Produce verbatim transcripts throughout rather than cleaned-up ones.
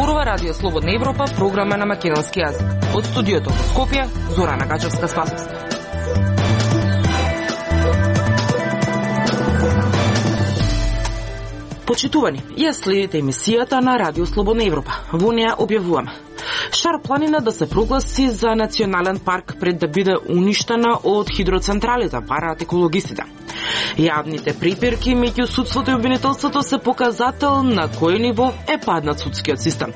зборува Радио Слободна Европа, програма на македонски јазик. Од студиото во Скопје, Зорана Гачевска-Спасовска. Почитувани, ја следите емисијата на Радио Слободна Европа. Во неја објавуваме Шар планина да се прогласи за национален парк пред да биде уништена од хидроцентралите, бараат екологистите. Јавните препирки меѓу судството и обвинителството се показател на кој ниво е паднат судскиот систем.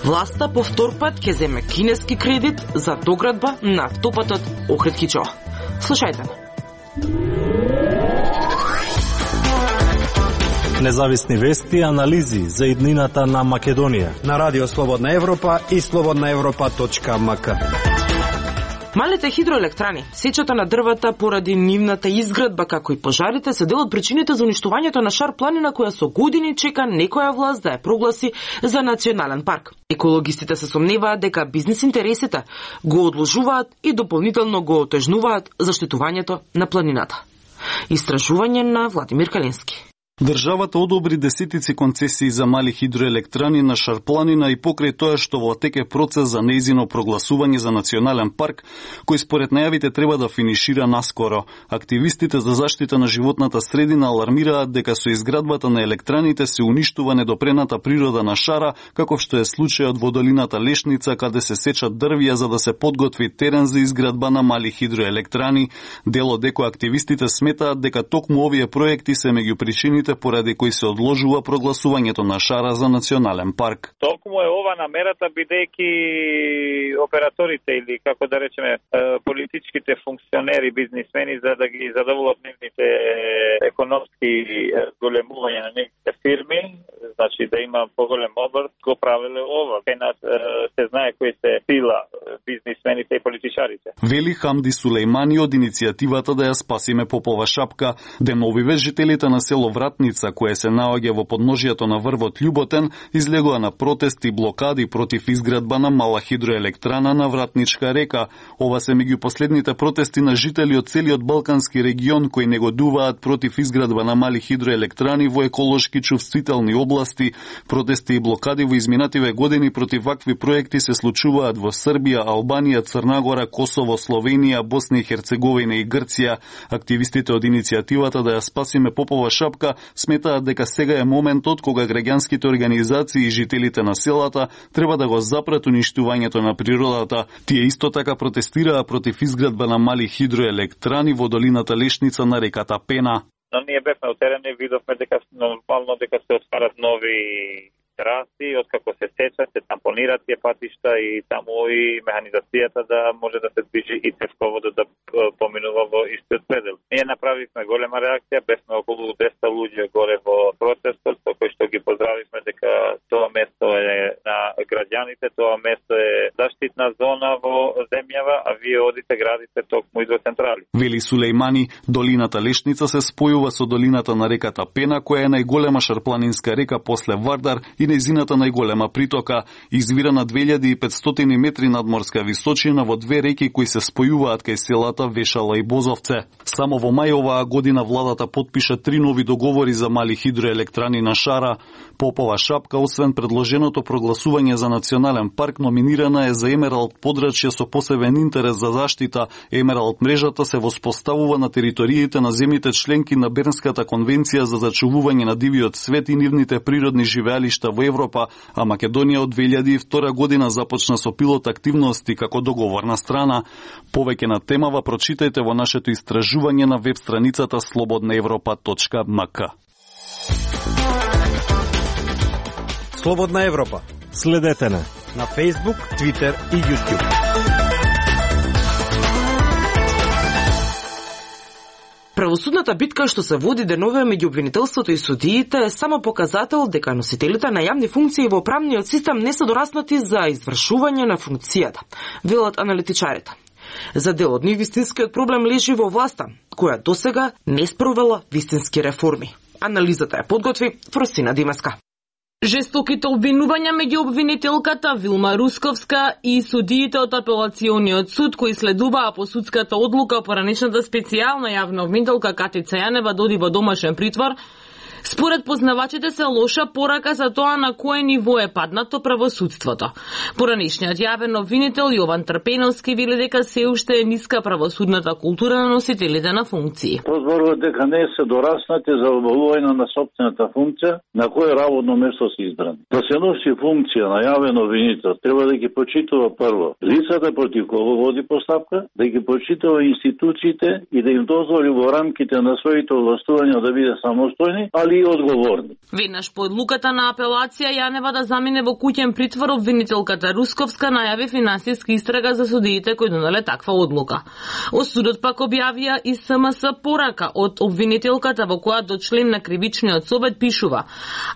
Власта по втор пат ќе земе кинески кредит за доградба на автопатот Охрид-Кичево. Слушајте ме. Независни вести и анализи за иднината на Македонија на Радио Слободна Европа и слободна европа точка ем ка. Малите хидроелектрани, сечата на дрвата поради нивната изградба, како и пожарите, се дел од причините за уништувањето на Шар планина, која со години чека некоја власт да ја прогласи за национален парк. Екологистите се сомневаат дека бизнис интересите го одложуваат и дополнително го отежнуваат заштитувањето на планината. Истражување на Владимир Калински. Државата одобри десетици концесии за мали хидроелектрани на Шар планина и покрај тоа што во тек е процес за нејзино прогласување за национален парк, кој според најавите треба да финишира наскоро. Активистите за заштита на животната средина алармираат дека со изградбата на електраните се уништува недопрената природа на Шара, како што е случајот во долината Лешница, каде се сечат дрвја за да се подготви терен за изградба на мали хидроелектрани. Дел од екоактивистите сметаат дека токму овие проекти се меѓу причините поради кои се одложува прогласувањето на Шара за национален парк. Токму е ова намерата, бидејќи операторите или како да речеме политичките функционери, бизнисмени, за да ги задоволат нивните економски големувања на нивните фирми, значи да има поголем обрт, го правеле ова. Кај нас се знае кои се сила бизнисмените и политичарите. Вели Хамди Сулејмани од иницијативата да ја спасиме Попова шапка. Демовиве жителите на село Вратница, кое се наоѓа во подножието на врвот Љуботен, излегува на протести и блокади против изградба на мала хидроелектрана на Вратничка река. Ова се меѓу последните протести на жители од целиот балкански регион кои негодуваат против изградба на мали хидроелектрани во еколошки чувствителни области. Протести и блокади во изминативе години против вакви проекти се случуваат во Србија, Албанија, Црна Гора, Косово, Словенија, Босна и Херцеговина и Грција. Активистите од иницијативата да ја спасиме Попова шапка сметаат дека сега е моментот кога граѓанските организации и жителите на селата треба да го запрат уништувањето на природата. Тие исто така протестираа против изградба на мали хидроелектрани во долината Лешница на реката Пена. Но ние бевме од терен и видовме дека нормално дека се отварат нови траси, откако се сечат, се тампонираат тие патишта и таму и механизацијата да може да се движи и тешководот да поминува во истиот предел. Ние направивме голема реакција, бевме околу десет луѓе горе во протестот, со кој што ги поздравивме дека тоа место е на граѓаните, тоа место е заштитна зона во земјава, а вие одите градите токму хидроцентрали. Вели Сулејмани, долината Лешница се спојува со долината на реката Пена, која е најголема шарпланинска река после Вардар и нејзината најголема притока. Извира на две илјади и петстотини метри надморска височина во две реки кои се спојуваат кај селата Вешала и Бозовце. Само во мај оваа година владата потпиша три нови договори за мали хидроелектрани на Шара. Попова шапка, освен предложеното прогласување за национален парк, номинирана е за Емералд подрачје со посебен интерес за заштита. Емералд мрежата се воспоставува на териториите на земјите членки на Бернската конвенција за зачувување на дивиот свет и нивните природни живеалишта во Европа, а Македонија од две илјади и втора година започна со пилот активности како договорна страна. Повеќе на темава прочитајте во нашето истражување на веб страницата слободна европа точка ем ка. Слободна Европа. Следете на на Facebook, Twitter и YouTube. Правосудната битка што се води денове меѓу обвинителството и судиите е само показател дека носителите на јавни функции во правниот систем не се дораснати за извршување на функцијата, велат аналитичарите. За дел од нив вистинскиот проблем лежи во власта, која досега не спровела вистински реформи. Анализата ја подготви Фросина Димеска. Жестоките обвинувања меѓу обвинителката Вилма Русковска и судиите од апелациониот суд кои следуваа по судската одлука поранешната специјална јавна обвинителка Катица Јанева доди во домашен притвор Според познавачите се лоша порака за тоа на кое ниво е паднато правосудството. Поранешниот јавен обвинител Јован Трпеновски вели дека се уште е ниска правосудната култура на носителите на функции. Зборува дека не се дораснати за обавување на собствената функција на кое работно место се избрани. Да се носи функција на јавен обвинител, треба да ги почитува прво лицата против кого води постапка, да ги почитува институциите и да им дозволи во рамките на своите овластувања да биде самостојни, али и одговорни. Веднаш по одлуката на апелација Јанева да замине во куќен притвор, обвинителката Русковска најави финансиска истрага за судиите кои донале таква одлука. Осудот пак објавија и СМС порака од обвинителката во која до член на кривичниот совет пишува: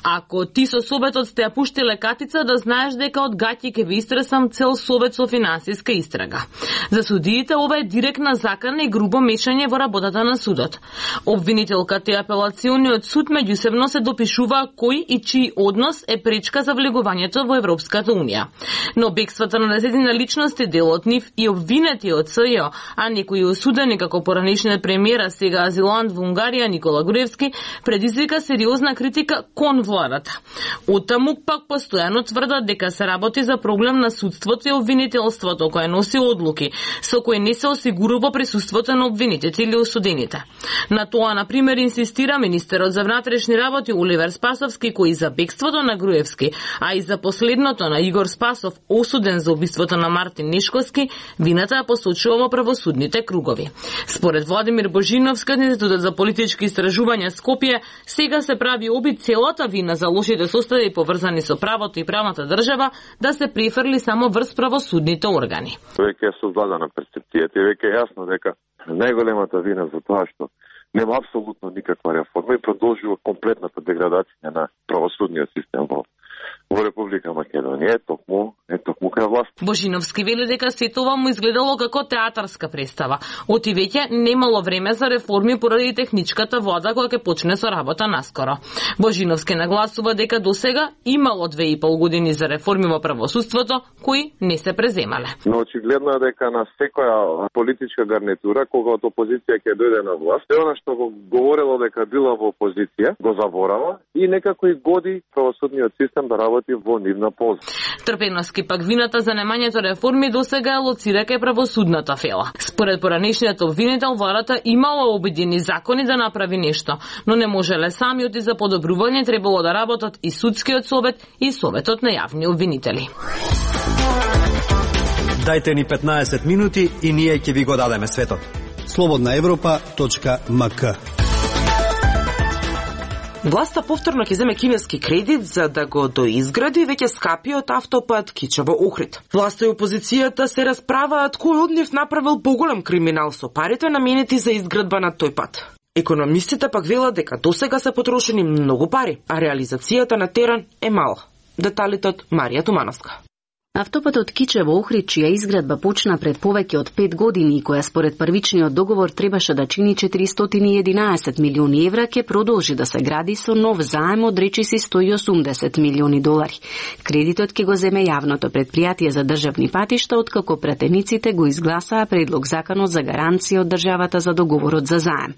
ако ти со советот сте ја пуштиле катица, да знаеш дека од гаќи ќе ви истресам цел совет со финансиска истрага. За судиите ова е директна закана и грубо мешање во работата на судот. Обвинителката и апелациониот суд меѓусебно се допишува кој и чиј однос е пречка за влегувањето во Европската унија. Но бегствата на десетина личности, дел од нив и обвинети од СЈО, а некои осудени како поранешниот премиер, сега азилант во Унгарија Никола Груевски, предизвика сериозна критика кон владата. Оттаму пак постојано тврдат дека се работи за проблем на судството и обвинителството кое носи одлуки со кои не се осигурува присуството на обвинетите или осудените. На тоа, на пример, инсистира министерот за внатрешни работи Оливер Спасовски, кој за бегството на Груевски, а и за последното на Игор Спасов, осуден за убиството на Мартин Нешковски, вината ја посочува во правосудните кругови. Според Владимир Божиновски, Институтот за политички истражувања Скопје, сега се прави обид целата вина за лошите состојби поврзани со правото и правната држава да се префрли само врз правосудните органи. Веќе е создадена перцепцијата и веќе е јасно дека најголемата вина за тоа што нема апсолутно никаква реформа и продолжува комплетната деградација на правосудниот систем во во Република Македонија, е токму, е токму кај власт. Божиновски вели дека сето ова му изгледало како театарска представа. Оти веќе немало време за реформи поради техничката влада која ќе почне со работа наскоро. Божиновски нагласува дека досега имало две и пол години за реформи во правосудството кои не се преземале. Но очигледно е дека на секоја политичка гарнитура кога од опозиција ќе дојде на власт, е она што го говорело дека била во опозиција, го заборава и некако и годи правосудниот систем да работи во нивна полза. Трпеновски пак вината за немањето реформи досега е лоцира кај правосудната фела. Според поранешниот обвинител, владата имала обидени закони да направи нешто, но не можеле самиот и за подобрување требало да работат и судскиот совет и советот на јавни обвинители. Дајте ни петнаесет минути и ние ќе ви го дадеме светот. слободна европа точка ем ка. Власта повторно ќе земе кинески кредит за да го доизгради веќе скапиот автопат Кичево-Охрид. Власта и опозицијата се расправаат кој од нив направил поголем криминал со парите наменети за изградба на тој пат. Економистите пак велат дека досега се потрошени многу пари, а реализацијата на терен е мала. Деталите од Марија Тумановска. Автопатот Кичево-Охрид, чија изградба почна пред повеќе од пет години и која според првичниот договор требаше да чини четиристотини и единаесет милиони евра, ќе продолжи да се гради со нов заем од речиси сто и осумдесет милиони долари. Кредитот ќе го земе јавното предпријатие за државни патишта, откако пратениците го изгласаа предлог законот за гаранција од државата за договорот за заем.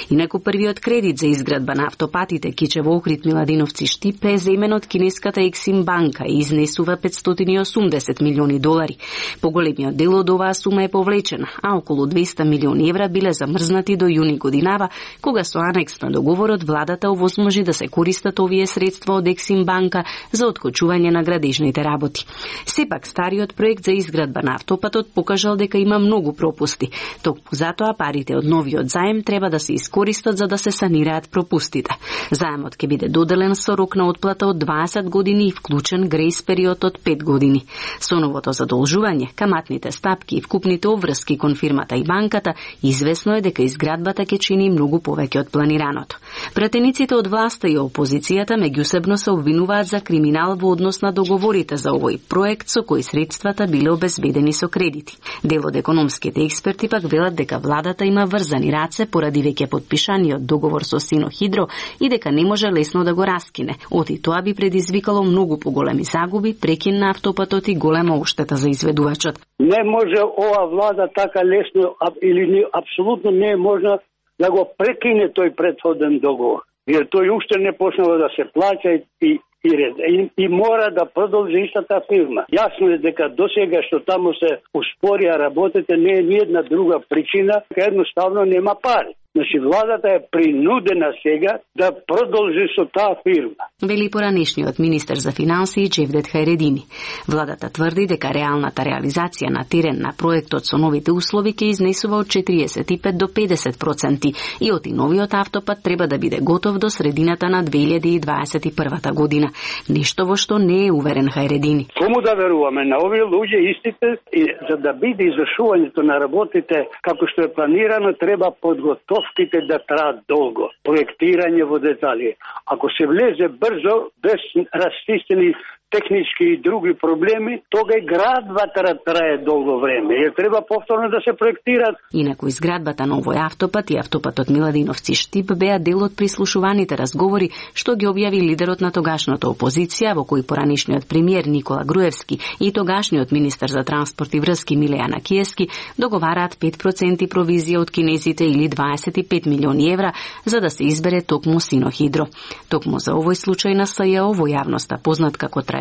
Инаку првиот кредит за изградба на автопатите Кичево-Охрид Миладиновци Штипе е земен од кинеската Ексим банка и изнесува петстотини и осумдесет милиони долари. Поголемиот дел од оваа сума е повлечена, а околу двеста милиони евра биле замрзнати до јуни годинава, кога со анекс на договорот владата овозможи да се користат овие средства од Ексим банка за откочување на градежните работи. Сепак стариот проект за изградба на автопатот покажал дека има многу пропусти. Токму затоа парите од новиот заем треба да се искористат за да се санираат пропустите. Заемот ќе биде доделен со рок на отплата од дваесет години и вклучен грејс период од пет години. Со новото задолжување, каматните стапки и вкупните обврски кон фирмата и банката, известно е дека изградбата ќе чини многу повеќе од планираното. Пратениците од власта и опозицијата меѓусебно се обвинуваат за криминал во однос на договорите за овој проект со кои средствата биле обезбедени со кредити. Дел од економските експерти пак велат дека владата има врзани раце поради веќе подпишаниот договор со Синохидро и дека не може лесно да го раскине. Оти тоа би предизвикало многу поголеми загуби, прекин на автопатот и голема оштета за изведувачот. Не може ова влада така лесно или не, апсолутно не е можна да го прекине тој претходен договор. Jer тој уште не почнува да се плаќа и И, и, и мора да продолжи истата фирма. Јасно е дека досега што таму се успорија работите не е ни една друга причина, едноставно нема пари. Значи, владата е принудена сега да продолжи со таа фирма. Вели поранешниот министер за финансии Джевдет Хајредини. Владата тврди дека реалната реализација на терен на проектот со новите услови ќе изнесува од четириесет и пет до педесет проценти и оти новиот автопат треба да биде готов до средината на две илјади и дваесет и прва година. Нешто во што не е уверен Хајредини. Кому да веруваме? На овие луѓе истите, и за да биде извршувањето на работите како што е планирано, треба подготовките да траат долго. Проектирање во детали. Ако се влезе брзо, без расчистени технички и други проблеми, тога и градбата трае долго време. Е треба повторно да се проектираат. Инаку изградбата на овој автопат и автопатот Миладиновци Штип беа дел од прислушуваните разговори што ги објави лидерот на тогашната опозиција, во кој поранешниот премиер Никола Груевски и тогашниот министер за транспорт и врски Милејана Киески договараат пет проценти провизија од кинезите или дваесет и пет милиони евра за да се избере токму Синохидро. Токму за овој случај на СЈО во јавноста познат како траекторија,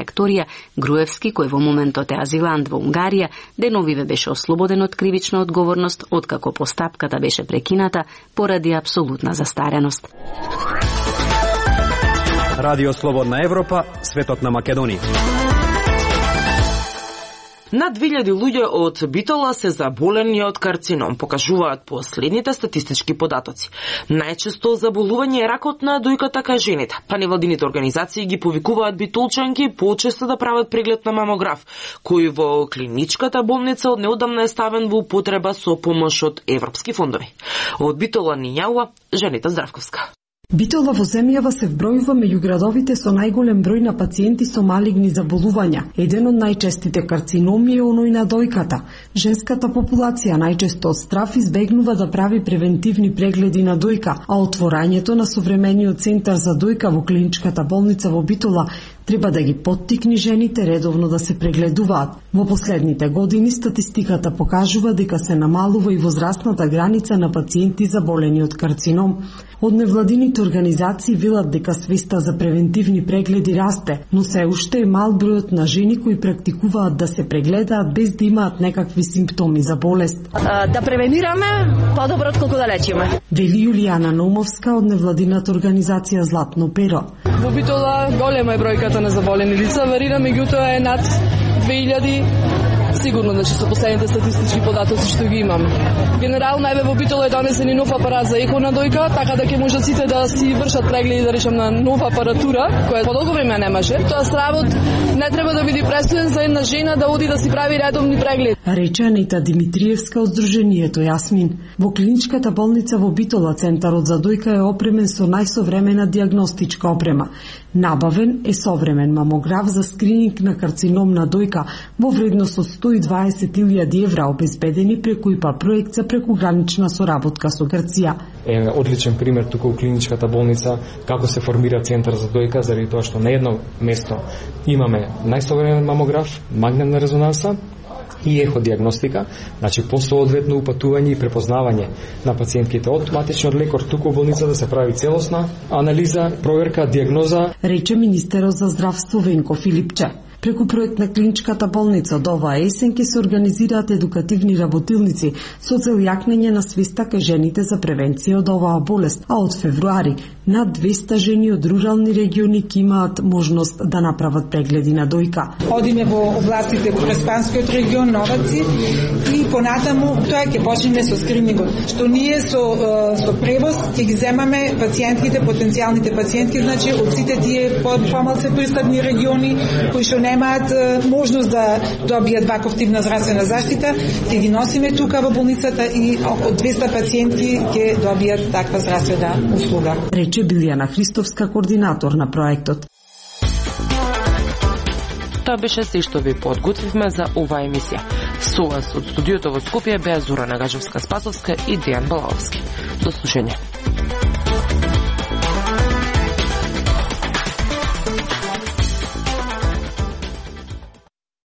Груевски, кој во моментот е азилант во Унгарија, деновиве беше ослободен од кривична одговорност откако постапката беше прекината поради апсолутна застареност. Радио Слободна Европа, светот на Македонија. Над две илјади луѓе од Битола се заболени од карцином, покажуваат последните статистички податоци. Најчесто заболување е ракот на дојката кај жените, па невладините организации ги повикуваат битолчанки почесто да прават преглед на мамограф, кој во клиничката болница од неодамна е ставен во употреба со помош од европски фондови. Од Битола ни јавува Женита Здравковска. Битола во земјава се вбројува меѓу градовите со најголем број на пациенти со малигни заболувања. Еден од најчестите карциноми е оној на дојката. Женската популација најчесто од страв избегнува да прави превентивни прегледи на дојка, а отворањето на современиот центар за дојка во клиничката болница во Битола треба да ги поттикни жените редовно да се прегледуваат. Во последните години статистиката покажува дека се намалува и возрастната граница на пациенти заболени од карцином. Од невладините организации велат дека свеста за превентивни прегледи расте, но се уште е мал бројот на жени кои практикуваат да се прегледаат без да имаат некакви симптоми за болест. Да превенираме подобро отколку да лечиме. Вели Јулијана Номовска од невладината организација Златно перо. Во Битола голема е бројката на заболени лица, варира, меѓутоа е над две илјади. Сигурно, значи, со последните статистички податоци што ги имаме. Генерално, еве во Битола е донесен и нов апарат за еко на дојка, така да ќе можат сите да си вршат прегледи, да речем, на нова апаратура, која по долго време немаше. Тоа стравот не треба да биде пресуден за една жена да оди да си прави редовни прегледи. Рече Анита Димитриевска од Сдруженијето Јасмин. Во клиничката болница во Битола центарот за дојка е опремен со најсовремена дијагностичка опрема. Набавен е современ мамограф за скрининг на карцином на дојка во вредност од сто и дваесет илјади евра обезбедени преку ИПА проект за прекугранична соработка со Грција. Е одличен пример тука во клиничката болница како се формира центар за дојка, заради тоа што на едно место имаме најсовремен мамограф, магнетна резонанса и еходиагностика, значи по соодветно упатување и препознавање на пациентките од матичниот лекар туку во болница да се прави целосна анализа, проверка, дијагноза. Рече министерот за здравство Венко Филипче. Преку проект на клиничката болница од оваа есен ќе се организираат едукативни работилници со цел јакнење на свеста кај жените за превенција од оваа болест, а од февруари над двеста жени од рурални региони ќе имаат можност да направат прегледи на дојка. Одиме во областите Преспанскиот регион, Новаци и понатаму тоа ќе почнеме со скринингот. Што ние со со превоз ќе ги земаме пациентките, потенцијалните пациентки, значи од сите тие помалку пристапни региони кои што немаат можност да добијат ваков-типна здравствена заштита, ќе ги носиме тука во болницата и околу двеста пациенти ќе добијат таква здравствена услуга. Рече Билјана Христовска, координатор на проектот. Тоа беше се што ви подготвивме за оваа емисија. Со вас од студиото во Скопје беа Зора Нагажевска-Спасовска и Дејан Балаовски. До слушање.